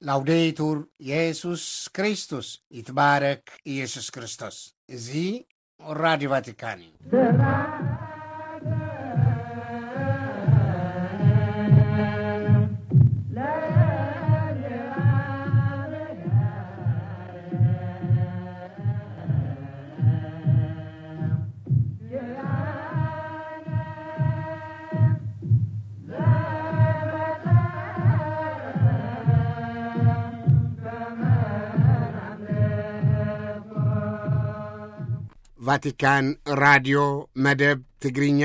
ላውዴቱር የሱስ ክርስቶስ፣ ይትባረክ ኢየሱስ ክርስቶስ። እዚ ራዲዮ ቫቲካን እዩ። ቫቲካን ራድዮ መደብ ትግርኛ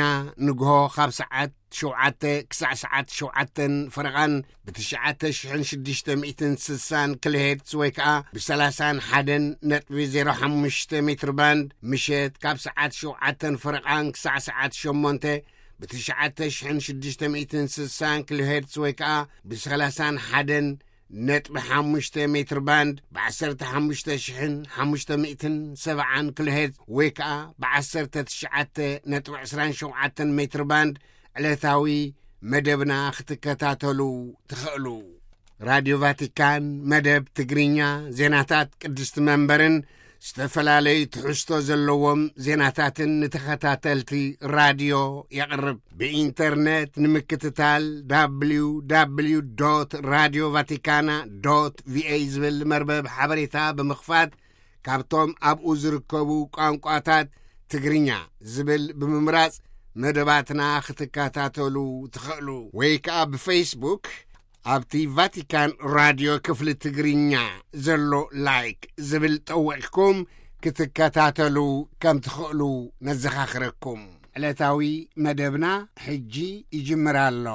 ንግሆ ካብ ሰዓት ሸውዓተ ክሳዕ ሰዓት ሸውዓተን ፈረቓን ብትሽዓተ ሽሕን ሽዱሽተ ሚእትን ስሳን ኪሎ ሄርትዝ ወይ ከኣ ብሰላሳን ሓደን ነጥቢ ዜሮ ሓሙሽተ ሜትር ባንድ፣ ምሸት ካብ ሰዓት ሸውዓተን ፈረቓን ክሳዕ ሰዓት ሸሞንተ ብትሽዓተ ሽሕን ሽዱሽተ ሚእትን ስሳን ኪሎ ሄርትዝ ወይ ከኣ ብሰላሳን ሓደን ነጥቢ ሓሙሽተ ሜትር ባንድ፣ ብ ዓሰርተ ሓሙሽተ ሽሕን ሓሙሽተ ሚእትን ሰብዓን ኪሎ ሄርትዝ ወይ ከኣ ብ ዓሰርተ ትሽዓተ ነጥቢ ዕስራን ሸውዓተን ሜትር ባንድ ዕለታዊ መደብና ክትከታተሉ ትኽእሉ። ራድዮ ቫቲካን መደብ ትግርኛ፣ ዜናታት ቅድስቲ መንበርን ዝተፈላለዩ ትሕዝቶ ዘለዎም ዜናታትን ንተኸታተልቲ ራድዮ የቕርብ። ብኢንተርነት ንምክትታል፣ www radio vaticana va ዝብል መርበብ ሓበሬታ ብምኽፋት፣ ካብቶም ኣብኡ ዝርከቡ ቋንቋታት ትግርኛ ዝብል ብምምራጽ መደባትና ክትከታተሉ ትኽእሉ። ወይ ከኣ ብፌስቡክ ኣብቲ ቫቲካን ራድዮ ክፍሊ ትግርኛ ዘሎ ላይክ ዝብል ጠዊቕኩም ክትከታተሉ ከም ትኽእሉ ነዘኻኽረኩም። ዕለታዊ መደብና ሕጂ ይጅምር ኣሎ።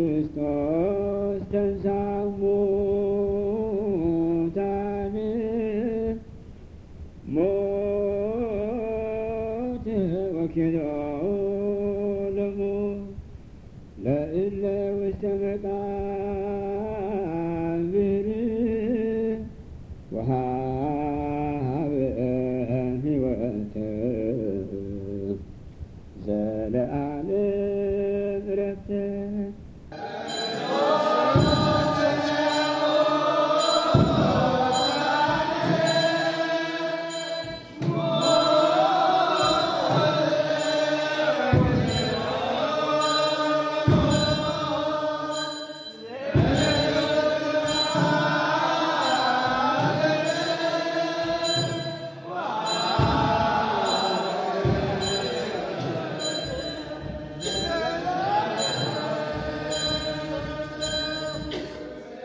ክርስቶስ ተንሥአ እሙታን፣ ሞት ወኪልኦ ለሞት፣ ለእለ ውስተ መቃብር ወሃበ ሕይወተ ዘለዓለም ረፍተ።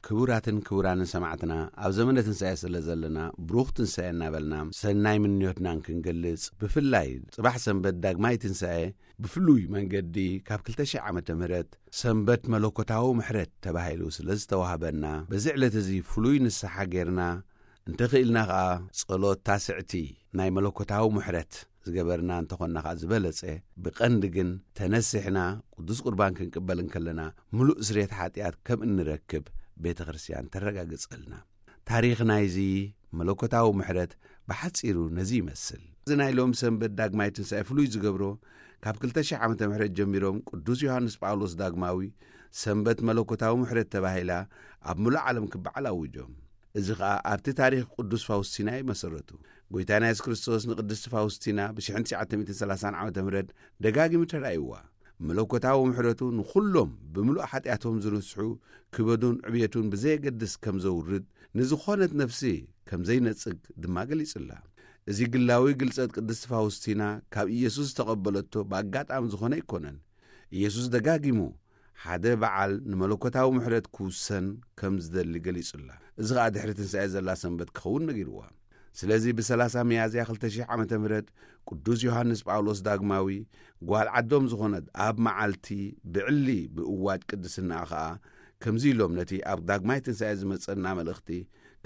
ክቡራትን ክቡራንን ሰማዕትና፣ ኣብ ዘመነ ትንሳኤ ስለ ዘለና፣ ብሩኽ ትንሳኤ እናበልና ሰናይ ምንዮትናን ክንገልጽ፣ ብፍላይ ጽባሕ ሰንበት ዳግማይ ትንሳኤ ብፍሉይ መንገዲ ካብ ክልተ ሺሕ ዓመተ ምህረት ሰንበት መለኮታዊ ምሕረት ተባሂሉ ስለ ዝተዋህበና፣ በዚ ዕለት እዚ ፍሉይ ንስሓ ጌርና፣ እንተኽኢልና ኸኣ ጸሎት ታስዕቲ ናይ መለኮታዊ ምሕረት ዝገበርና እንተኾንና ኸኣ ዝበለጸ፣ ብቐንዲ ግን ተነሲሕና ቅዱስ ቁርባን ክንቅበል እንከለና ምሉእ ስርየት ሓጢኣት ከም እንረክብ ቤተ ክርስቲያን ተረጋግጸልና። ታሪኽ ናይዚ መለኮታዊ ምሕረት ብሓጺሩ ነዚ ይመስል። እዚ ናይ ሎም ሰንበት ዳግማይ ትንሳኤ ፍሉይ ዝገብሮ፣ ካብ ክልተ ሺሕ ዓመተ ምሕረት ጀሚሮም ቅዱስ ዮሃንስ ጳውሎስ ዳግማዊ ሰንበት መለኮታዊ ምሕረት ተባሂላ ኣብ ምሉእ ዓለም ክበዓል ኣዊጆም። እዚ ኸኣ ኣብቲ ታሪኽ ቅዱስ ፋውስቲና እዩ መሰረቱ። ጐይታና የሱስ ክርስቶስ ንቅድስቲ ፋውስቲና ብሽሕን ትሽዓተ ሚእትን ሰላሳን ዓመተ ምህረት ደጋጊሙ ተራእይዋ። መለኮታዊ ምሕረቱ ንኹሎም ብምሉእ ሓጢኣቶም ዝንስሑ ክበዱን ዕብየቱን ብዘየገድስ ከም ዘውርድ፣ ንዝኾነት ነፍሲ ከም ዘይነጽግ ድማ ገሊጹላ። እዚ ግላዊ ግልጸት ቅድስቲ ፋውስቲና ካብ ኢየሱስ ዝተቐበለቶ ብኣጋጣሚ ዝኾነ ኣይኮነን። ኢየሱስ ደጋጊሙ ሓደ በዓል ንመለኮታዊ ምሕረት ክውሰን ከም ዝደሊ ገሊጹላ። እዚ ኸኣ ድሕሪ ትንሳኤ ዘላ ሰንበት ክኸውን ነጊርዋ። ስለዚ ብሰላሳ ሚያዝያ ክልተ ሺሕ ዓመተ ምህረት ቅዱስ ዮሃንስ ጳውሎስ ዳግማዊ ጓል ዓዶም ዝኾነት ኣብ መዓልቲ ብዕሊ ብእዋጅ ቅድስናኣ ኸኣ ከምዚ ኢሎም ነቲ ኣብ ዳግማይ ትንሳኤ ዝመጸና መልእኽቲ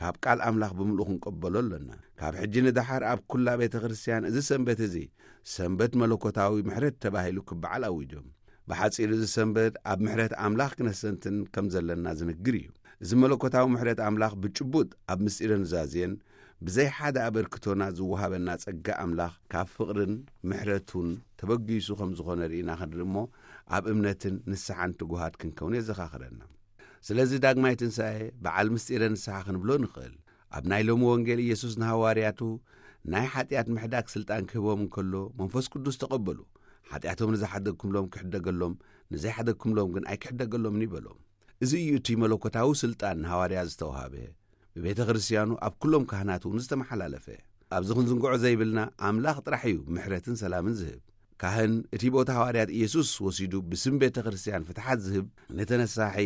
ካብ ቃል ኣምላኽ ብምሉእ ክንቀበሎ ኣሎና። ካብ ሕጂ ንደሓር ኣብ ኩላ ቤተ ክርስቲያን እዚ ሰንበት እዚ ሰንበት መለኮታዊ ምሕረት ተባሂሉ ክበዓል ኣዊጆም። ብሓጺሩ እዚ ሰንበት ኣብ ምሕረት ኣምላኽ ክነስተንትን ከም ዘለና ዝንግር እዩ። እዚ መለኮታዊ ምሕረት ኣምላኽ ብጭቡጥ ኣብ ምስጢረ ኑዛዜን ብዘይ ሓደ ኣበርክቶና ዝወሃበና ጸጋ ኣምላኽ ካብ ፍቕርን ምሕረቱን ተበጊሱ ከም ዝኾነ ርኢና ክንርኢ እሞ፣ ኣብ እምነትን ንስሓን ትጉሃት ክንከውን የዘኻኽረና። ስለዚ ዳግማይ ትንሳኤ በዓል ምስጢረ ንስሓ ክንብሎ ንኽእል። ኣብ ናይ ሎሚ ወንጌል ኢየሱስ ንሃዋርያቱ ናይ ሓጢኣት ምሕዳግ ስልጣን ክህቦም እንከሎ፣ መንፈስ ቅዱስ ተቐበሉ። ሓጢኣቶም ንዝሓደግኩምሎም ክሕደገሎም፣ ንዘይሓደግኩምሎም ግን ኣይክሕደገሎምን እዩ በሎም። እዚ እዩ እቲ መለኮታዊ ስልጣን ንሃዋርያ ዝተዋሃበ። ብቤተ ክርስቲያኑ ኣብ ኩሎም ካህናት እውን ዝተመሓላለፈ። ኣብዚ ክንዝንግዖ ዘይብልና ኣምላኽ ጥራሕ እዩ ምሕረትን ሰላምን ዝህብ። ካህን እቲ ቦታ ሃዋርያት ኢየሱስ ወሲዱ ብስም ቤተ ክርስቲያን ፍትሓት ዝህብ ንተነሳሒ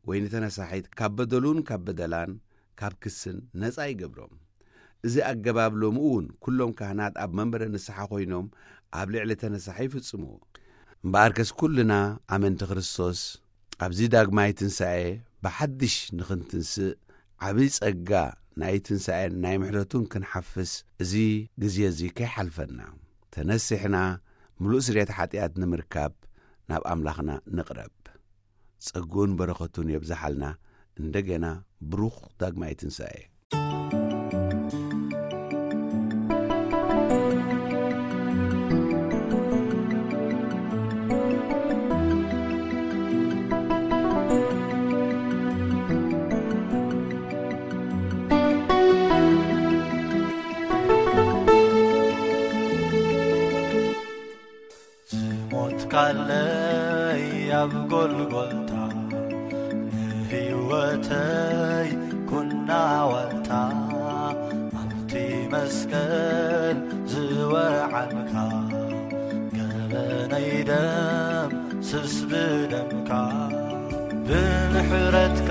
ወይ ንተነሳሒት ካብ በደሉን ካብ በደላን ካብ ክስን ነጻ ይገብሮም። እዚ ኣገባብ ሎሚ እውን ኩሎም ካህናት ኣብ መንበረ ንስሓ ኮይኖም ኣብ ልዕሊ ተነሳሒ ይፍጽምዎ። እምበኣርከስ ኩልና ኣመንቲ ክርስቶስ ኣብዚ ዳግማይ ትንሳኤ ብሓድሽ ንኽንትንስእ ዓብዪ ጸጋ ናይ ትንሳኤን ናይ ምሕረቱን ክንሓፍስ እዚ ግዜ እዚ ከይሓልፈና ተነሲሕና ምሉእ ስርየት ሓጢኣት ንምርካብ ናብ ኣምላኽና ንቕረብ። ጸግኡን በረኸቱን የብዝሓልና። እንደገና ብሩኽ ዳግማይ ትንሳኤ። ዝሞትካለይ ኣብ ጎልጎልታ ንህይወተይ ኩና ዋልታ ኣብቲ መስቀል ዝወዓልካ ገበነይ ደም ስስ ብደምካ ብምሕረትካ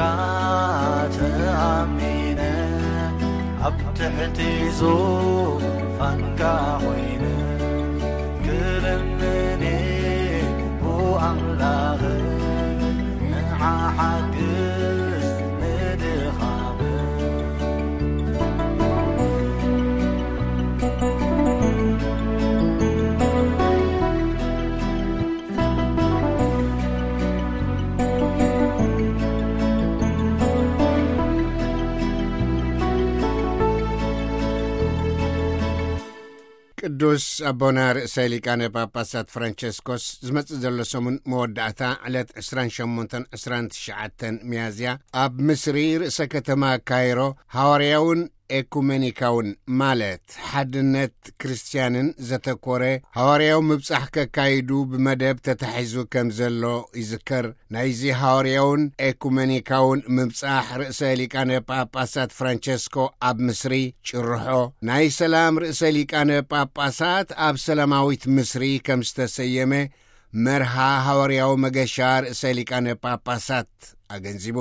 ተኣሚነ ኣብ ትሕቲ ዙፋንካ ኮይነ ክልምኒ ብኣምላኽ ንዓ ሓግዝ ንድኻም። ቅዱስ ኣቦና ርእሰ ሊቃነ ጳጳሳት ፍራንቸስኮስ ዝመጽእ ዘሎ ሰሙን መወዳእታ ዕለት ዕስራን ሸሞንተን ዕስራን ትሽዓተን ሚያዝያ ኣብ ምስሪ ርእሰ ከተማ ካይሮ ሃዋርያውን ኤኩሜኒካውን ማለት ሓድነት ክርስትያንን ዘተኮረ ሃዋርያዊ ምብጻሕ ከካይዱ ብመደብ ተታሒዙ ከም ዘሎ ይዝከር። ናይዚ ሃዋርያውን ኤኩሜኒካውን ምብጻሕ ርእሰ ሊቃነ ጳጳሳት ፍራንቸስኮ ኣብ ምስሪ ጭርሖ ናይ ሰላም ርእሰ ሊቃነ ጳጳሳት ኣብ ሰላማዊት ምስሪ ከም ዝተሰየመ መርሃ ሃዋርያዊ መገሻ ርእሰ ሊቃነ ጳጳሳት ኣገንዚቡ።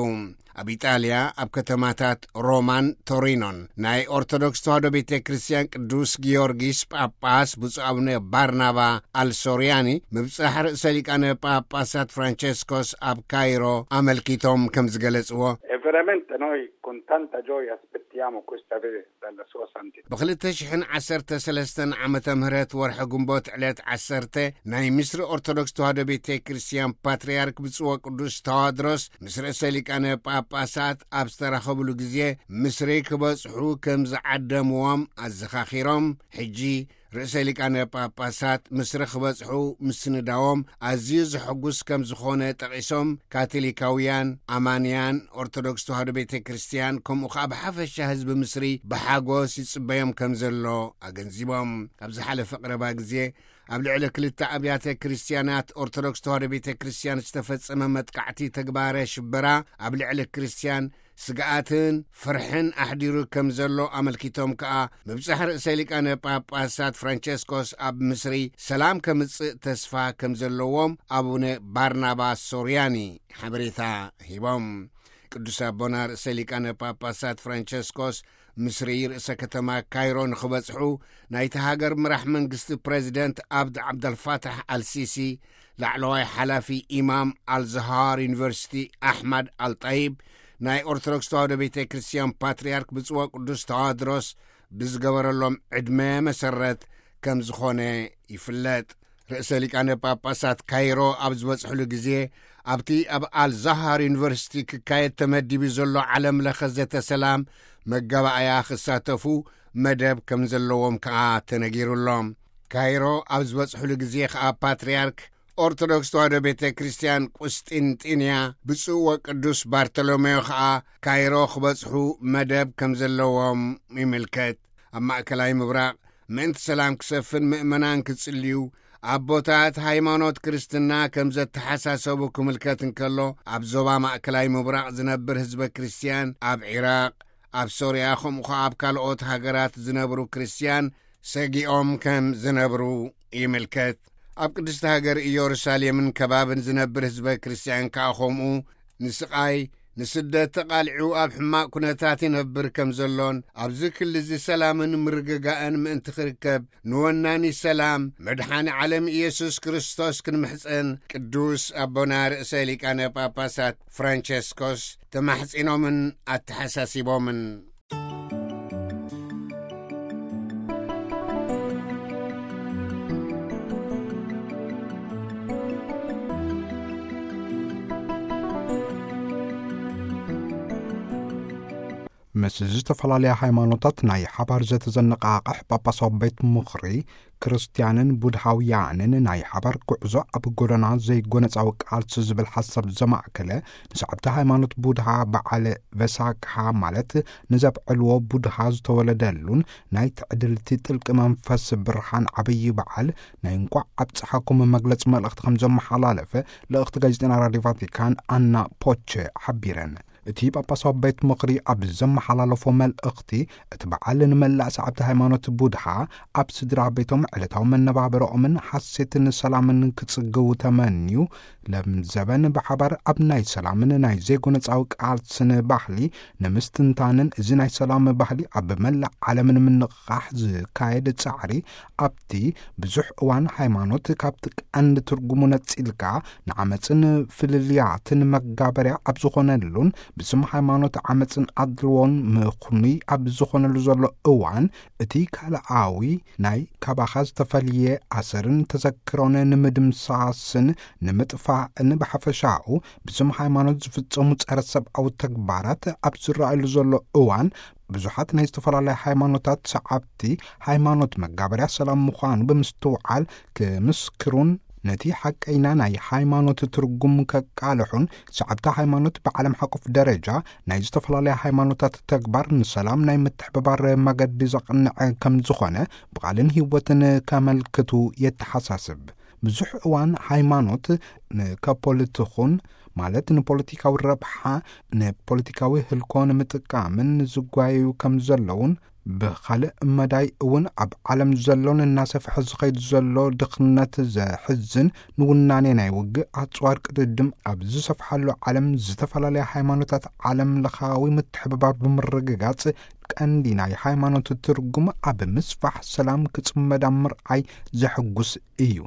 ኣብ ኢጣልያ ኣብ ከተማታት ሮማን ቶሪኖን ናይ ኦርቶዶክስ ተዋህዶ ቤተ ክርስቲያን ቅዱስ ጊዮርጊስ ጳጳስ ብፁዕ ኣቡነ ባርናባ ኣልሶርያኒ ምብጻሕ ርእሰ ሊቃነ ጳጳሳት ፍራንቸስኮስ ኣብ ካይሮ ኣመልኪቶም ከም ዝገለጽዎ። E veramente noi con tanta gioia aspettiamo questa festa della sua santità. ብ ክልተ ሽሕን ዓሰርተ ሰለስተን ዓመተ ምህረት ወርሒ ግንቦት ዕለት ዓሰርተ ናይ ምስሪ ኦርቶዶክስ ተዋህዶ ቤተ ክርስቲያን ፓትርያርክ ብፁዕ ወቅዱስ ተዋድሮስ ምስ ርእሰ ሊቃነ ጳጳሳት ኣብ ዝተራኸብሉ ግዜ ምስሪ ክበጽሑ ከም ዝዓደምዎም ኣዘኻኺሮም፣ ሕጂ ርእሰ ሊቃነ ጳጳሳት ምስሪ ክበጽሑ ምስንዳዎም ኣዝዩ ዘሐጉስ ከም ዝኾነ ጠቒሶም፣ ካቶሊካውያን ኣማንያን ኦርቶዶክስ ተዋህዶ ቤተ ክርስቲያን ከምኡ ኸኣ ብሓፈሻ ህዝቢ ምስሪ ብሓጎስ ይጽበዮም ከም ዘሎ ኣገንዚቦም። ኣብ ዝሓለፈ ቀረባ ግዜ ኣብ ልዕሊ ክልተ ኣብያተ ክርስቲያናት ኦርቶዶክስ ተዋህዶ ቤተ ክርስቲያን ዝተፈጸመ መጥቃዕቲ ተግባረ ሽበራ ኣብ ልዕሊ ክርስቲያን ስግኣትን ፍርሕን ኣሕዲሩ ከም ዘሎ ኣመልኪቶም ከኣ ምብጻሕ ርእሰ ሊቃነ ጳጳሳት ፍራንቸስኮስ ኣብ ምስሪ ሰላም ከምጽእ ተስፋ ከም ዘለዎም ኣቡነ ባርናባስ ሶርያኒ ሓበሬታ ሂቦም። ቅዱስ ኣቦና ርእሰ ሊቃነ ጳጳሳት ፍራንቸስኮስ ምስሪ ርእሰ ከተማ ካይሮ ንኽበጽሑ ናይቲ ሃገር ምራሕ መንግስቲ ፕሬዚደንት ኣብድ ዓብደልፋታሕ ኣልሲሲ፣ ላዕለዋይ ሓላፊ ኢማም ኣልዝሃር ዩኒቨርሲቲ ኣሕመድ ኣልጣይብ፣ ናይ ኦርቶዶክስ ተዋህዶ ቤተ ክርስቲያን ፓትርያርክ ብፁዕ ወቅዱስ ተዋድሮስ ብዝገበረሎም ዕድመ መሰረት ከም ዝኾነ ይፍለጥ። ርእሰ ሊቃነ ጳጳሳት ካይሮ ኣብ ዝበጽሕሉ ግዜ ኣብቲ ኣብ ኣልዛሃር ዩኒቨርሲቲ ክካየድ ተመዲቡ ዘሎ ዓለም ለኸ ዘተ ሰላም መጋባእያ ክሳተፉ መደብ ከም ዘለዎም ከኣ ተነጊሩ ኣሎ። ካይሮ ኣብ ዝበጽሕሉ ግዜ ከኣ ፓትርያርክ ኦርቶዶክስ ተዋህዶ ቤተ ክርስቲያን ቁስጢንጢንያ ብፁዕ ወቅዱስ ባርቶሎሜዮ ከኣ ካይሮ ክበጽሑ መደብ ከም ዘለዎም ይምልከት። ኣብ ማእከላይ ምብራቕ ምእንቲ ሰላም ክሰፍን ምእመናን ክጽልዩ፣ ኣቦታት ሃይማኖት ክርስትና ከም ዘተሓሳሰቡ ክምልከት እንከሎ፣ ኣብ ዞባ ማእከላይ ምብራቕ ዝነብር ህዝበ ክርስቲያን ኣብ ዒራቕ፣ ኣብ ሶርያ፣ ከምኡ ኸኣ ኣብ ካልኦት ሃገራት ዝነብሩ ክርስቲያን ሰጊኦም ከም ዝነብሩ ይምልከት። ኣብ ቅድስቲ ሃገር ኢየሩሳሌምን ከባብን ዝነብር ህዝበ ክርስቲያን ከኣ ከምኡ ንስቓይ፣ ንስደት ተቓሊዑ ኣብ ሕማቕ ኩነታት ይነብር ከም ዘሎን፣ ኣብዚ ክሊ እዚ ሰላምን ምርግጋእን ምእንቲ ክርከብ፣ ንወናኒ ሰላም መድሓኒ ዓለም ኢየሱስ ክርስቶስ ክንምሕጸን ቅዱስ ኣቦና ርእሰ ሊቃነ ጳጳሳት ፍራንቸስኮስ ተማሕጺኖምን ኣተሓሳሲቦምን። ምስ ዝተፈላለያ ሃይማኖታት ናይ ሓባር ዘተዘነቓቕሕ ጳጳሳዊ ቤት ምኽሪ፣ ክርስትያንን ቡድሃውያንን ናይ ሓባር ጉዕዞ ኣብ ጎደና ዘይጎነጻዊ ቃልሲ ዝብል ሓሳብ ዘማእከለ፣ ንሰዓብቲ ሃይማኖት ቡድሃ በዓል ቨሳክሃ፣ ማለት ንዘብዕልዎ ቡድሃ ዝተወለደሉን ናይ ትዕድልቲ ጥልቂ መንፈስ ብርሃን ዓብዪ በዓል፣ ናይ እንቋዕ ኣብጽሓኩም መግለጺ መልእኽቲ ከም ዘመሓላለፈ ልእኽቲ ጋዜጠና ራድዮ ቫቲካን ኣና ፖቸ ሓቢረን። እቲ ጳጳሳዊ ቤት ምኽሪ ኣብ ዘመሓላለፎ መልእኽቲ፣ እቲ በዓል ንመላእ ሰዓብቲ ሃይማኖት ቡድሃ ኣብ ስድራ ቤቶም፣ ዕለታዊ መነባብሮኦምን ሓሴትን ሰላምን ክጽግው ተመንዩ፣ ለምዘበን ብሓባር ኣብ ናይ ሰላምን ናይ ዘይጎነጻዊ ቃልስን ባህሊ ንምስትንታንን፣ እዚ ናይ ሰላም ባህሊ ኣብ መላእ ዓለም ንምንቕቓሕ ዝካየድ ጻዕሪ፣ ኣብቲ ብዙሕ እዋን ሃይማኖት ካብቲ ቀንዲ ትርጉሙ ነጺልካ ንዓመጽን ፍልልያትን መጋበርያ ኣብ ዝኾነሉን፣ ብስም ሃይማኖት ዓመጽን ኣድልዎን ምኹኑይ ኣብ ዝኾነሉ ዘሎ እዋን፣ እቲ ካልኣዊ ናይ ካባኻ ዝተፈልየ ኣሰርን ተዘክሮን ንምድምሳስን ንምጥፋእን፣ ብሓፈሻኡ ብስም ሃይማኖት ዝፍጸሙ ጸረ ሰብኣዊ ተግባራት ኣብ ዝረኣየሉ ዘሎ እዋን፣ ብዙሓት ናይ ዝተፈላለያ ሃይማኖታት ሰዓብቲ፣ ሃይማኖት መጋበርያ ሰላም ምዃኑ ብምስትውዓል ክምስክሩን፣ ነቲ ሓቀይና ናይ ሃይማኖት ትርጉም ከቃልሑን፣ ሰዓብቲ ሃይማኖት ብዓለም ሓቆፍ ደረጃ ናይ ዝተፈላለያ ሃይማኖታት ተግባር ንሰላም ናይ ምትሕብባር መገዲ ዘቕንዐ ከም ዝኾነ ብቓልን ህይወትን ከመልክቱ የተሓሳስብ። ብዙሕ እዋን ሃይማኖት ንከፖሊትኹን፣ ማለት ንፖለቲካዊ ረብሓ፣ ንፖለቲካዊ ህልኮ ንምጥቃምን ዝጓየዩ ከም ዘለውን፣ ብኻልእ መዳይ እውን ኣብ ዓለም ዘሎን እናሰፍሐ ዝኸይድ ዘሎ ድኽነት ዘሕዝን፣ ንውናኔ ናይ ውግእ ኣጽዋር ቅድድም ኣብ ዝሰፍሓሉ ዓለም ዝተፈላለያ ሃይማኖታት ዓለም ለኻዊ ምትሕብባር ብምርግጋጽ፣ ቀንዲ ናይ ሃይማኖት ትርጉም ኣብ ምስፋሕ ሰላም ክጽመድ ኣብ ምርኣይ ዘሕጉስ እዩ።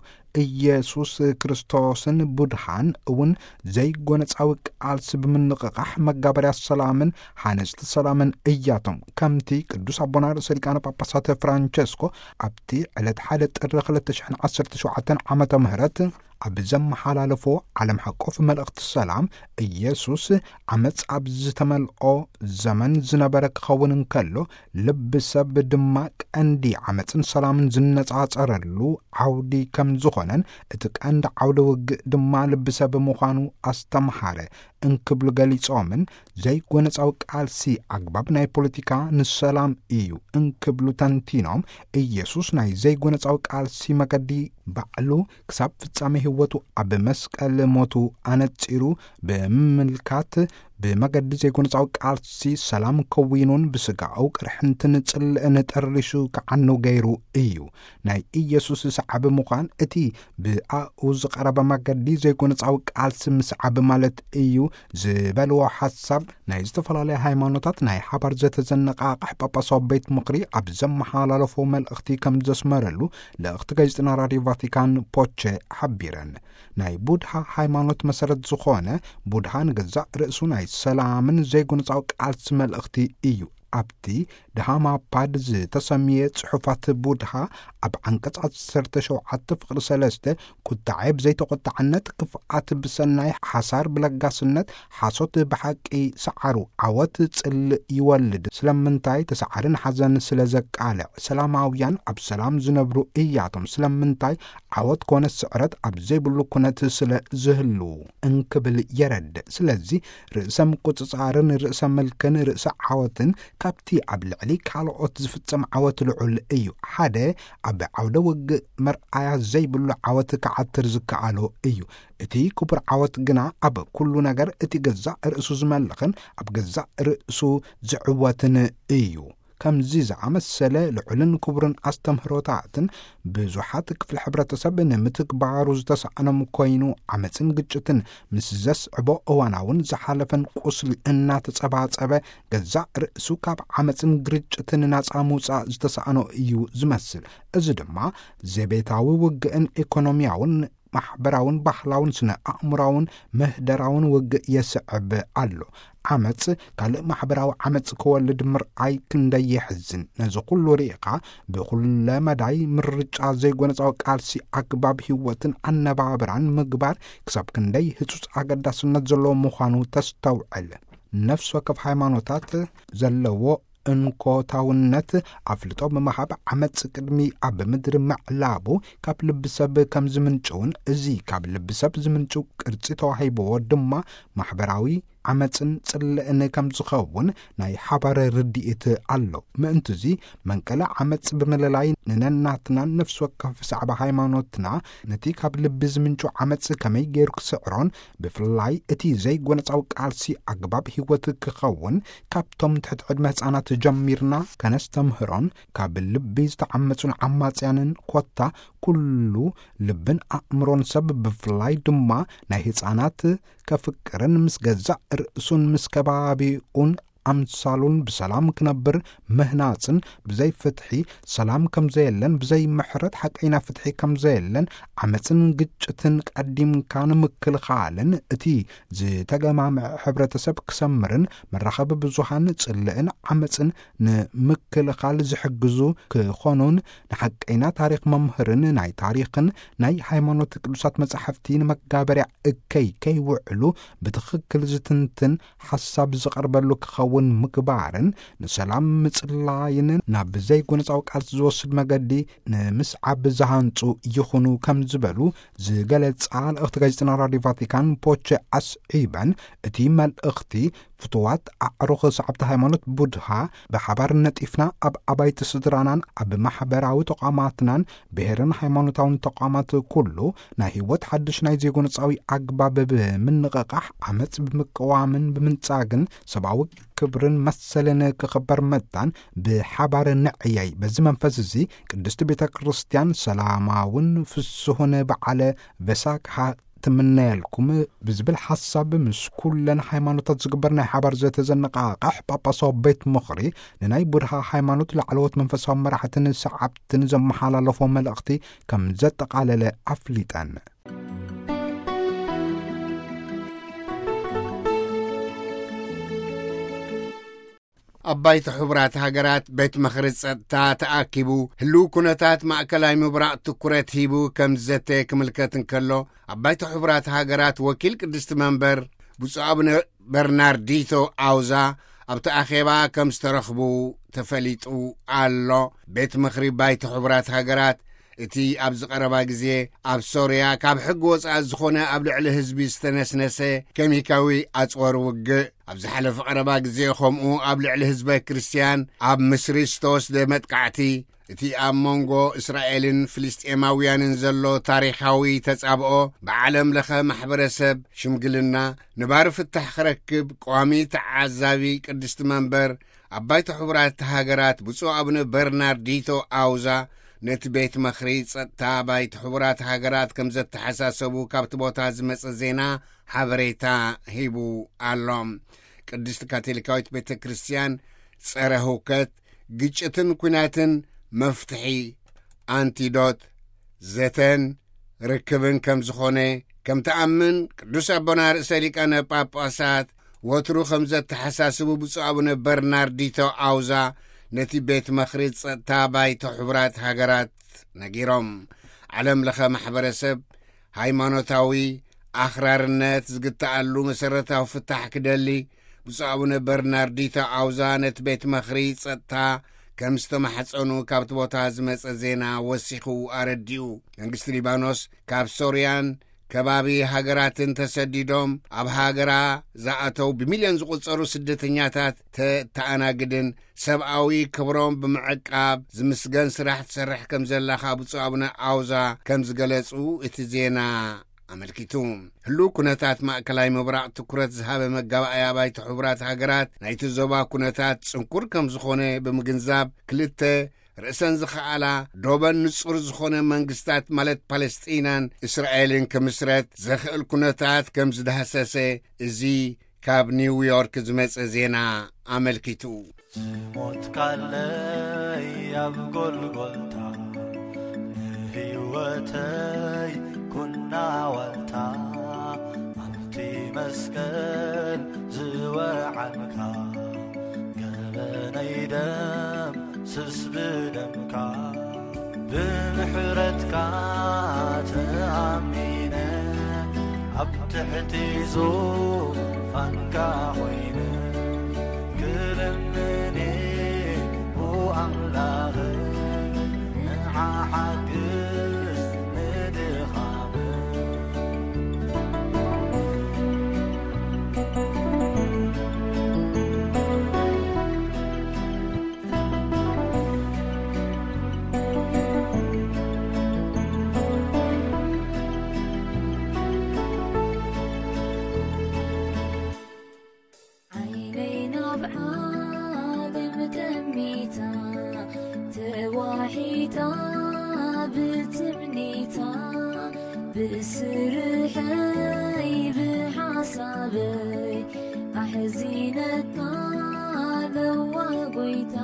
ኢየሱስ ክርስቶስን ቡድሃን እውን ዘይጎነጻዊ ቃልሲ ብምንቕቓሕ መጋበርያ ሰላምን ሓነጽቲ ሰላምን እያቶም። ከምቲ ቅዱስ ኣቦና ርእሰ ሊቃነ ጳጳሳት ፍራንቸስኮ ኣብቲ ዕለት ሓደ ጥሪ ክልተ ሽሕን ዓሰርተ ሸውዓተን ዓመተ ምህረት ኣብ ዘመሓላለፎ ዓለም ሓቆፍ መልእኽቲ ሰላም፣ ኢየሱስ ዓመጽ ኣብ ዝተመልኦ ዘመን ዝነበረ ክኸውን እንከሎ፣ ልቢ ሰብ ድማ ቀንዲ ዓመጽን ሰላምን ዝነጻጸረሉ ዓውዲ ከም ዝኾነን፣ እቲ ቀንዲ ዓውደ ውግእ ድማ ልቢ ሰብ ምዃኑ ኣስተምሃረ እንክብሉ ገሊጾምን፣ ዘይጎነጻዊ ቃልሲ ኣግባብ ናይ ፖለቲካ ንሰላም እዩ እንክብሉ ተንቲኖም፣ ኢየሱስ ናይ ዘይጎነጻዊ ቃልሲ መገዲ ባዕሉ ክሳብ ፍጻሜ ህይወቱ ኣብ መስቀል ሞቱ ኣነጺሩ ብምምልካት፣ ብመገዲ ዘይጎነጻዊ ቃልሲ ሰላም ከዊኑን ብስጋኡ ቅርሕንትን ጽልእን ጠሪሹ ክዓኑ ገይሩ እዩ። ናይ ኢየሱስ ሰዓቢ ምዃን እቲ ብኣኡ ዝቐረበ መገዲ ዘይጎነጻዊ ቃልሲ ምስዓብ ማለት እዩ ዝበልዎ ሓሳብ፣ ናይ ዝተፈላለያ ሃይማኖታት ናይ ሓባር ዘተዘነቓቕሕ ጳጳሳዊ ቤት ምኽሪ ኣብ ዘመሓላለፎ መልእኽቲ ከም ዘስመረሉ ልእኽቲ ጋዜጠና ራድዮ ቫቲካን ፖቸ ሓቢረን። ናይ ቡድሃ ሃይማኖት መሰረት ዝኾነ፣ ቡድሃ ንገዛእ ርእሱ ናይ ሰላምን ዘይጎነጻዊ ቃልሲ መልእኽቲ እዩ። ኣብቲ ድሃማፓድ ዝተሰምየ ጽሑፋት ቡድሃ፣ ኣብ ዓንቀጽ ዓሰርተ ሸውዓተ ፍቕሪ ሰለስተ፣ ቁጣዐ ብዘይተቖጣዕነት፣ ክፍኣት ብሰናይ፣ ሓሳር ብለጋስነት፣ ሓሶት ብሓቂ ሰዓሩ፣ ዓወት ጽልእ ይወልድ። ስለምንታይ? ተሰዓርን ሓዘን ስለ ዘቃልዕ። ሰላማውያን ኣብ ሰላም ዝነብሩ እያቶም። ስለምንታይ? ዓወት ኮነ ስዕረት ኣብ ዘይብሉ ኩነት ስለ ዝህሉ እንክብል የረድእ። ስለዚ ርእሰ ምቁጽጻርን ርእሰ ምልክን ርእሰ ዓወትን ካብቲ ኣብ ልዕሊ ካልኦት ዝፍጸም ዓወት ልዑል እዩ። ሓደ ኣብ ዓውደ ውግእ መርኣያ ዘይብሉ ዓወት ክዓትር ዝከኣሎ እዩ። እቲ ክቡር ዓወት ግና ኣብ ኩሉ ነገር እቲ ገዛእ ርእሱ ዝመልኽን ኣብ ገዛእ ርእሱ ዝዕወትን እዩ። ከምዚ ዝኣመሰለ ልዑልን ክቡርን ኣስተምህሮታትን ብዙሓት ክፍሊ ሕብረተሰብ ንምትግባሩ ዝተሳእኖም ኮይኑ፣ ዓመፅን ግጭትን ምስ ዘስዕቦ እዋናውን ዝሓለፈን ቁስሊ እናተጸባጸበ፣ ገዛእ ርእሱ ካብ ዓመፅን ግርጭትን ናጻ ምውጻእ ዝተሳእኖ እዩ ዝመስል። እዚ ድማ ዘቤታዊ ውግእን ኢኮኖሚያውን ማሕበራውን ባህላውን ስነ ኣእምራውን ምህደራውን ውግእ የስዕብ ኣሎ። ዓመጽ ካልእ ማሕበራዊ ዓመጽ ክወልድ ምርኣይ ክንደይ የሕዝን። ነዚ ኩሉ ርኢኻ፣ ብኩለ መዳይ ምርጫ ዘይጎነጻዊ ቃልሲ ኣግባብ ህይወትን ኣነባብራን ምግባር ክሳብ ክንደይ ህጹጽ ኣገዳስነት ዘለዎ ምዃኑ ተስተውዕል። ነፍሲ ወከፍ ሃይማኖታት ዘለዎ እንኮታውነት ኣፍልጦ ብምሃብ፣ ዓመጽ ቅድሚ ኣብ ምድሪ ምዕላቡ ካብ ልቢ ሰብ ከም ዝምንጭውን፣ እዚ ካብ ልቢ ሰብ ዝምንጭው ቅርጺ ተዋሂብዎ ድማ ማሕበራዊ ዓመጽን ጽልእን ከም ዝኸውን ናይ ሓባር ርድኢት ኣሎ። ምእንትዚ መንቀለ ዓመጽ ብምልላይ ንነናትናን ነፍሲ ወከፍ ሰዕባ ሃይማኖትና ነቲ ካብ ልቢ ዝምንጩ ዓመጽ ከመይ ገይሩ ክስዕሮን ብፍላይ እቲ ዘይጎነጻዊ ቃልሲ ኣግባብ ህይወት ክኸውን ካብቶም ትሕቲ ዕድመ ህጻናት ጀሚርና ከነስተምህሮን ካብ ልቢ ዝተዓመጹን ዓማጽያንን ኮታ ኩሉ ልብን ኣእምሮን ሰብ ብፍላይ ድማ ናይ ህጻናት ከፍቅርን ምስ ገዛእ ርእሱን ምስ ከባቢኡን ኣምሳሉን ብሰላም ክነብር ምህናጽን ብዘይ ፍትሒ ሰላም ከም ዘየለን ብዘይ ምሕረት ሓቀይና ፍትሒ ከም ዘየለን ዓመጽን ግጭትን ቀዲምካ ንምክልኻልን እቲ ዝተገማምዐ ሕብረተሰብ ክሰምርን መራኸቢ ብዙሃን ጽልእን ዓመጽን ንምክልኻል ዝሕግዙ ክኾኑን ንሓቀይና ታሪኽ መምህርን ናይ ታሪኽን ናይ ሃይማኖት ቅዱሳት መጻሕፍቲ ንመጋበርያ እከይ ከይውዕሉ ብትኽክል ዝትንትን ሓሳብ ዝቐርበሉ ክኸውን ምግባርን ንሰላም ምጽላይን ናብ ዘይጎነጻዊ ቃልሲ ዝወስድ መገዲ ንምስዓብ ዝሃንጹ ይኹኑ ከም ዝበሉ ዝገለጻ ልእኽቲ ጋዜጠና ራዲዮ ቫቲካን ፖቸ ኣስዒበን፣ እቲ መልእኽቲ ፍቱዋት ኣዕሩኽ ሰዓብቲ ሃይማኖት ቡድሃ ብሓባር ነጢፍና ኣብ ኣባይቲ ስድራናን ኣብ ማሕበራዊ ተቋማትናን ብሄርን ሃይማኖታውን ተቋማት ኩሉ ናይ ህይወት ሓድሽ ናይ ዜጎነጻዊ ኣግባብ ብምንቕቓሕ ዓመጽ ብምቅዋምን ብምንጻግን ሰብኣዊ ክብርን መሰልን ክኽበር መታን ብሓባር ንዕየይ። በዚ መንፈስ እዚ ቅድስቲ ቤተ ክርስቲያን ሰላማውን ፍስሁን በዓለ ቬሳክሃ ትምነየልኩም ብዝብል ሓሳብ ምስ ኩለን ሃይማኖታት ዝግበር ናይ ሓባር ዘተ ዘነቓቕሕ ጳጳሳዊ ቤት ምኽሪ ንናይ ቡድሃ ሃይማኖት ላዕለዎት መንፈሳዊ መራሕትን ሰዓብትን ዘመሓላለፎ መልእኽቲ ከም ዘጠቓለለ ኣፍሊጠን። ኣብ ባይቶ ሕቡራት ሃገራት ቤት ምኽሪ ጸጥታ ተኣኪቡ ህልው ኩነታት ማእከላይ ምብራቕ ትኩረት ሂቡ ከም ዝዘተ ክምልከት እንከሎ፣ ኣብ ባይቶ ሕቡራት ሃገራት ወኪል ቅድስቲ መንበር ብፁዕ ኣቡነ በርናርዲቶ ኣውዛ ኣብቲ ኣኼባ ከም ዝተረኽቡ ተፈሊጡ ኣሎ። ቤት ምኽሪ ባይቶ ሕቡራት ሃገራት እቲ ኣብዚ ቀረባ ግዜ ኣብ ሶርያ ካብ ሕጊ ወጻኢ ዝኾነ ኣብ ልዕሊ ህዝቢ ዝተነስነሰ ኬሚካዊ ኣጽዋር ውግእ፣ ኣብ ዝሓለፈ ቀረባ ግዜ ከምኡ ኣብ ልዕሊ ህዝበ ክርስትያን ኣብ ምስሪ ዝተወስደ መጥቃዕቲ፣ እቲ ኣብ መንጎ እስራኤልን ፍልስጤማውያንን ዘሎ ታሪኻዊ ተጻብኦ ብዓለም ለኸ ማሕበረሰብ ሽምግልና ንባሪ ፍታሕ ክረክብ ቋሚ ተዓዛቢ ቅድስቲ መንበር ኣብ ባይቶ ሕቡራት ሃገራት ብፁዕ ኣቡነ በርናርዲቶ ኣውዛ ነቲ ቤት ምኽሪ ጸጥታ ባይቶ ሕቡራት ሃገራት ከም ዘተሓሳሰቡ ካብቲ ቦታ ዝመጸ ዜና ሓበሬታ ሂቡ ኣሎ። ቅድስቲ ካቶሊካዊት ቤተ ክርስቲያን ጸረ ህውከት፣ ግጭትን ኲናትን መፍትሒ፣ ኣንቲዶት፣ ዘተን ርክብን ከም ዝኾነ ከም ትኣምን ቅዱስ ኣቦና ርእሰ ሊቃነ ጳጳሳት ወትሩ ከም ዘተሓሳስቡ ብፁዕ ኣቡነ በርናርዲቶ ኣውዛ ነቲ ቤት መኽሪ ጸጥታ ባይቶ ሕቡራት ሃገራት ነጊሮም። ዓለም ለኸ ማሕበረሰብ ሃይማኖታዊ ኣኽራርነት ዝግትኣሉ መሰረታዊ ፍታሕ ክደሊ ብፁዕ ኣቡነ በርናርዲቶ ኣውዛ ነቲ ቤት መኽሪ ጸጥታ ከም ዝተማሕጸኑ ካብቲ ቦታ ዝመጸ ዜና ወሲኹ ኣረዲኡ። መንግስቲ ሊባኖስ ካብ ሶርያን ከባቢ ሃገራትን ተሰዲዶም ኣብ ሃገራ ዝኣተው ብሚልዮን ዝቑጸሩ ስደተኛታት ተተኣናግድን ሰብኣዊ ክብሮም ብምዕቃብ ዝምስገን ስራሕ ትሰርሕ ከም ዘላ ካብ ብፁዕ ኣቡነ ኣውዛ ከም ዝገለጹ እቲ ዜና ኣመልኪቱ። ህሉው ኩነታት ማእከላይ ምብራቕ ትኩረት ዝሃበ መጋባእያ ባይቶ ሕቡራት ሃገራት ናይቲ ዞባ ኩነታት ጽንኩር ከም ዝኾነ ብምግንዛብ ክልተ ርእሰን ዝኸኣላ ዶበን ንጹር ዝኾነ መንግስታት ማለት ፓለስጢናን እስራኤልን ክምስረት ዘኽእል ኩነታት ከም ዝዳህሰሰ እዚ ካብ ኒውዮርክ ዝመጸ ዜና ኣመልኪቱ። ዝሞትካለይ ኣብ ጎልጎልታ፣ ንህይወተይ ኩና ዋልታ፣ ኣብቲ መስቀል ዝወዓልካ፣ ገበነይ ደም ስስ ብደምካ፣ ብምሕረትካ ተኣሚነ፣ ኣብ ትሕቲ ዙፋንካ ኮይነ፣ ክልምኒ ብኣምላኽ፣ ንዓሓግዝ ንድኻም። ዓይነይ ናብ ዓለም ጠሚታ፣ ተዋሒጣ ብትምኒታ፣ ብስርሐይ ብሓሳበይ ኣሕዚነታ ለዋ ጎይታ።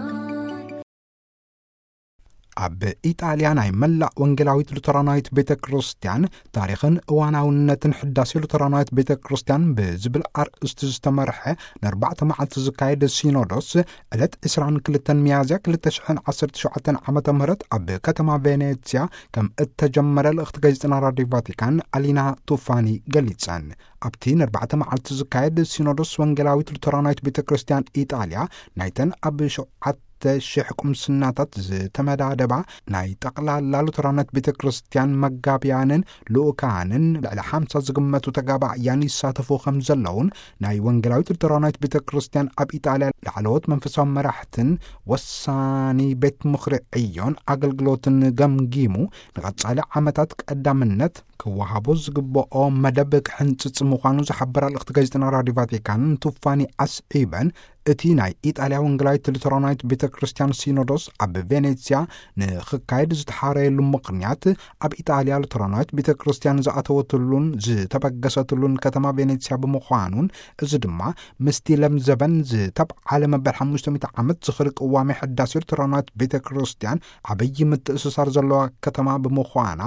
ኣብ ኢጣልያ ናይ መላእ ወንጌላዊት ሉተራናዊት ቤተ ክርስቲያን ታሪኽን እዋናውነትን ሕዳሴ ሉተራናዊት ቤተ ክርስቲያን ብዝብል ኣርእስቲ ዝተመርሐ ንኣርባዕተ መዓልቲ ዝካየድ ሲኖዶስ ዕለት ዕስራን ክልተን ሚያዝያ ክልተ ሽሕን ዓሰርተ ሸውዓተን ዓመተ ምህረት ኣብ ከተማ ቬኔትስያ ከም እተጀመረ ልእኽቲ ጋዜጠና ራዲዮ ቫቲካን ኣሊና ቱፋኒ ገሊጸን። ኣብቲ ንኣርባዕተ መዓልቲ ዝካየድ ሲኖዶስ ወንጌላዊት ሉተራናዊት ቤተ ክርስቲያን ኢጣልያ ናይተን ኣብ ሸውዓተ ሽሕ ቁምስናታት ዝተመዳደባ ናይ ጠቕላላ ሉተራናዊት ቤተ ክርስቲያን መጋብያንን ልኡካንን ልዕሊ ሓምሳ ዝግመቱ ተጋባእያን ይሳተፉ ከም ዘለውን ናይ ወንጌላዊት ሉተራናዊት ቤተ ክርስቲያን ኣብ ኢጣልያ ላዕለዎት መንፈሳዊ መራሕትን ወሳኒ ቤት ምኽሪ ዕዮን ኣገልግሎትን ገምጊሙ ንቐጻሊ ዓመታት ቀዳምነት ክወሃቦ ዝግብኦ መደብ ክሕንጽጽ ምዃኑ ዝሓበራ ልእኽቲ ጋዜጠና ራዲዮ ቫቲካን ቱፋኒ ኣስዒበን፣ እቲ ናይ ኢጣልያ ወንጌላዊት ሉተራናዊት ቤተ ክርስቲያን ሲኖዶስ ኣብ ቬኔትስያ ንኽካየድ ዝተሓረየሉ ምኽንያት ኣብ ኢጣልያ ሉተራናዊት ቤተ ክርስቲያን ዝኣተወትሉን ዝተበገሰትሉን ከተማ ቬኔትስያ ብምዃኑን፣ እዚ ድማ ምስቲ ለምዘበን ዝተብዓለ መበል ሓሙሽተ ሚእቲ ዓመት ዝኽሪ ቅዋሜ ሕዳሴ ሉተራናዊት ቤተ ክርስቲያን ዓብዪ ምትእስሳር ዘለዋ ከተማ ብምዃና፣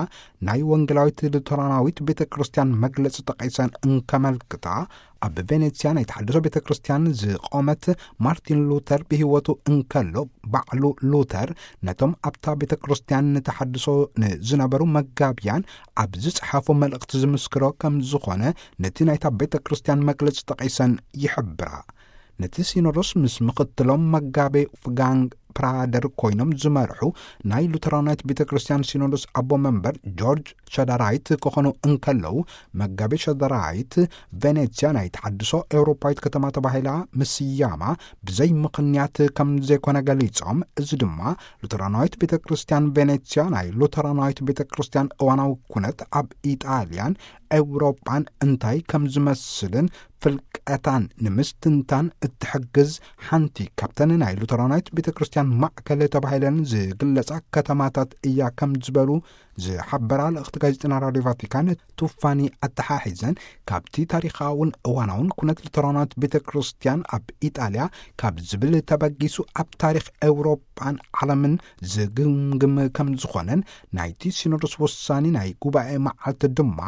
ናይ ወንጌላዊት ሉተራናዊት ቤተ ክርስቲያን መግለጺ ጠቒሰን እንከመልክታ፣ ኣብ ቬኔትስያ ናይ ተሓድሶ ቤተ ክርስቲያን ዝቖመት ማርቲን ሉተር ብህይወቱ እንከሎ፣ ባዕሉ ሉተር ነቶም ኣብታ ቤተ ክርስቲያን ንተሓድሶ ንዝነበሩ መጋብያን ኣብ ዝጸሓፎ መልእኽቲ ዝምስክሮ ከም ዝኾነ ነቲ ናይታ ቤተ ክርስቲያን መግለጺ ጠቒሰን ይሕብራ። ነቲ ሲኖዶስ ምስ ምኽትሎም መጋቤ ፍጋንግ ፕራደር ኮይኖም ዝመርሑ ናይ ሉተራናዊት ቤተ ክርስቲያን ሲኖዶስ ኣቦ መንበር ጆርጅ ሸዳራይት ክኾኑ እንከለዉ፣ መጋቤ ሸዳራይት ቬኔትስያ ናይ ተሓድሶ ኤውሮፓዊት ከተማ ተባሂላ ምስያማ ብዘይ ምኽንያት ከም ዘይኮነ ገሊጾም፣ እዚ ድማ ሉተራናዊት ቤተ ክርስቲያን ቬኔትስያ ናይ ሉተራናዊት ቤተ ክርስቲያን እዋናዊ ኩነት ኣብ ኢጣልያን ኤውሮጳን እንታይ ከም ዝመስልን ፍልቀታን ንምስትንታን እትሕግዝ ሓንቲ ካብተን ናይ ሉተራናዊት ቤተ ክርስቲያን ማዕከል ተባሂለን ዝግለጻ ከተማታት እያ ከም ዝበሉ ዝሓበራ ልእኽቲ ጋዜጠና ራዲዮ ቫቲካን ቱፋኒ ኣተሓሒዘን፣ ካብቲ ታሪኻውን እዋናውን ኩነት ሉተራናዊት ቤተ ክርስቲያን ኣብ ኢጣልያ ካብ ዝብል ተበጊሱ ኣብ ታሪኽ ኤውሮጳን ዓለምን ዝግምግም ከም ዝኾነን ናይቲ ሲኖዶስ ውሳኔ ናይ ጉባኤ መዓልቲ ድማ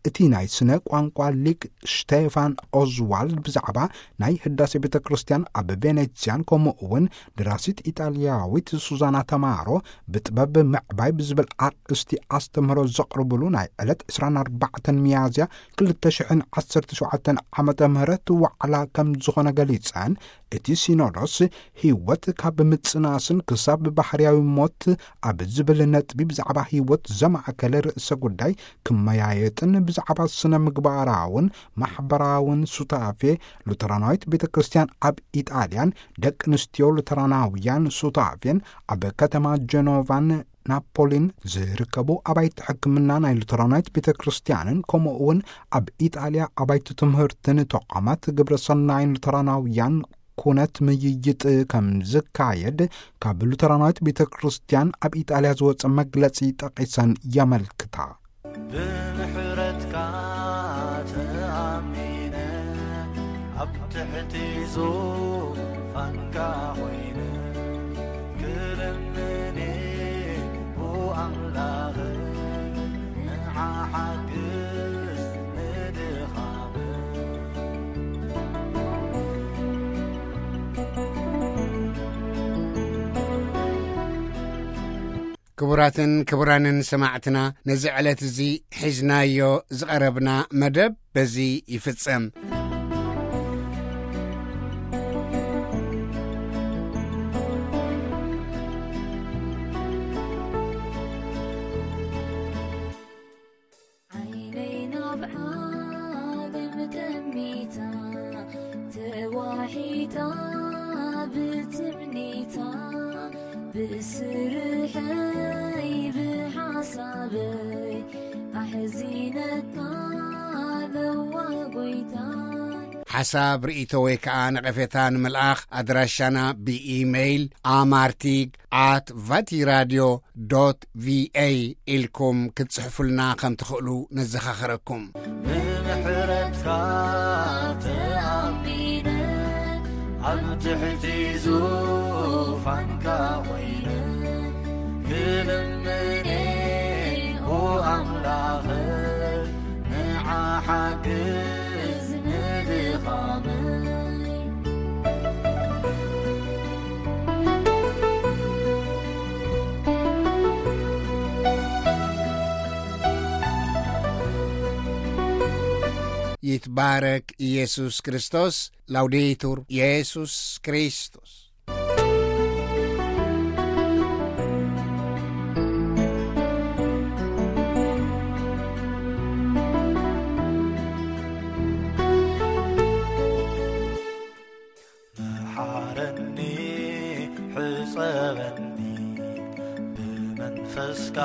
እቲ ናይ ስነ ቋንቋ ሊቅ ሽቴፋን ኦዝዋልድ ብዛዕባ ናይ ህዳሴ ቤተ ክርስቲያን ኣብ ቬኔትስያን፣ ከምኡ እውን ደራሲት ኢጣልያዊት ሱዛና ተማሮ ብጥበብ ምዕባይ ብዝብል ኣርእስቲ ኣስተምህሮ ዘቕርብሉ ናይ ዕለት ዕስራን ኣርባዕተን ሚያዝያ ክልተ ሽሕን ዓሰርተ ሸውዓተን ዓመተ ምህረት ዋዕላ ከም ዝኾነ ገሊጸን፣ እቲ ሲኖዶስ ህይወት ካብ ምጽናስን ክሳብ ባህርያዊ ሞት ኣብ ዝብል ነጥቢ ብዛዕባ ህይወት ዘማእከለ ርእሰ ጉዳይ ክመያየጥን ብዛዕባ ስነ ምግባራውን ማሕበራውን ሱታፌ ሉተራናዊት ቤተ ክርስቲያን ኣብ ኢጣልያን ደቂ ኣንስትዮ ሉተራናውያን ሱታፌን ኣብ ከተማ ጀኖቫን ናፖሊን ዝርከቡ ኣባይቲ ሕክምና ናይ ሉተራናዊት ቤተ ክርስቲያንን ከምኡ እውን ኣብ ኢጣልያ ኣባይቲ ትምህርትን ተቋማት ግብረ ሰናይን ሉተራናውያን ኩነት ምይይጥ ከም ዝካየድ ካብ ሉተራናዊት ቤተ ክርስቲያን ኣብ ኢጣልያ ዝወጸ መግለጺ ጠቒሰን የመልክታ። ብምሕረትካ ተኣሚነ ኣብ ትሕቲ ዙፋንካ ኮይነ ክልምኔ ኣምላኽ ንዓሓግዝ ንድኻም። ክቡራትን ክቡራንን ሰማዕትና፣ ነዚ ዕለት እዚ ሒዝናዮ ዝቐረብና መደብ በዚ ይፍጸም። ዓይነይ ናብ ዓለም ጠሚታ ተዋሒጣ ብትምኒታ ብስርሐይ ብሓሳበይ ኣሕዚነካ ለዋ ጎይታ። ሓሳብ ርእይቶ ወይ ከዓ ነቐፌታ ንምልኣኽ ኣድራሻና ብኢሜይል ኣማርቲግ ኣት ቫቲራድዮ ዶት ቪኤ ኢልኩም ክትጽሕፉልና ከም ትኽእሉ ነዘኻኽረኩም። ብምሕረትካ ተኣሚነ ኣብ ትሕቲ ዙፋንካ ኮይነ ክልምኔ ኣምላኽ ንዓሓግዝ ንድኻመይ። ይትባረክ ኢየሱስ ክርስቶስ። ላውዴቱር ኢየሱስ ክርስቶስ። መሓረኒ፣ ሕጸበኒ፣ ብመንፈስካ